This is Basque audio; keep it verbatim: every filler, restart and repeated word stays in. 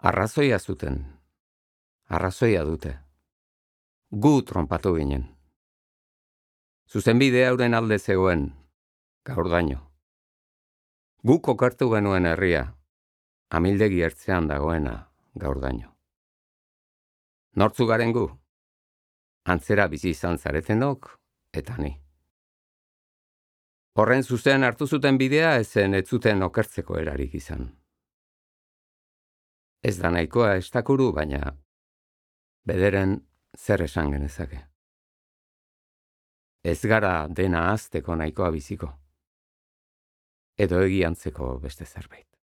Arrazoia zuten. Arrazoia dute. Gu tronpatu ginen. Zuzenbide hauren alde zegoen, gaurdaino. Guk okartu genuen herria, amildegi ertzean dagoena, gaurdaino. Nortzu garen gu? Antzera bizi izan zaretenok, eta ni. Horren zuzen hartu zuten bidea ezen ez zuten okertzeko erarik izan. Ez da nahikoa estakuru, baina bederen zer esan genezake. Ez gara dena azteko nahikoa biziko. Edo egiantzeko beste zerbait.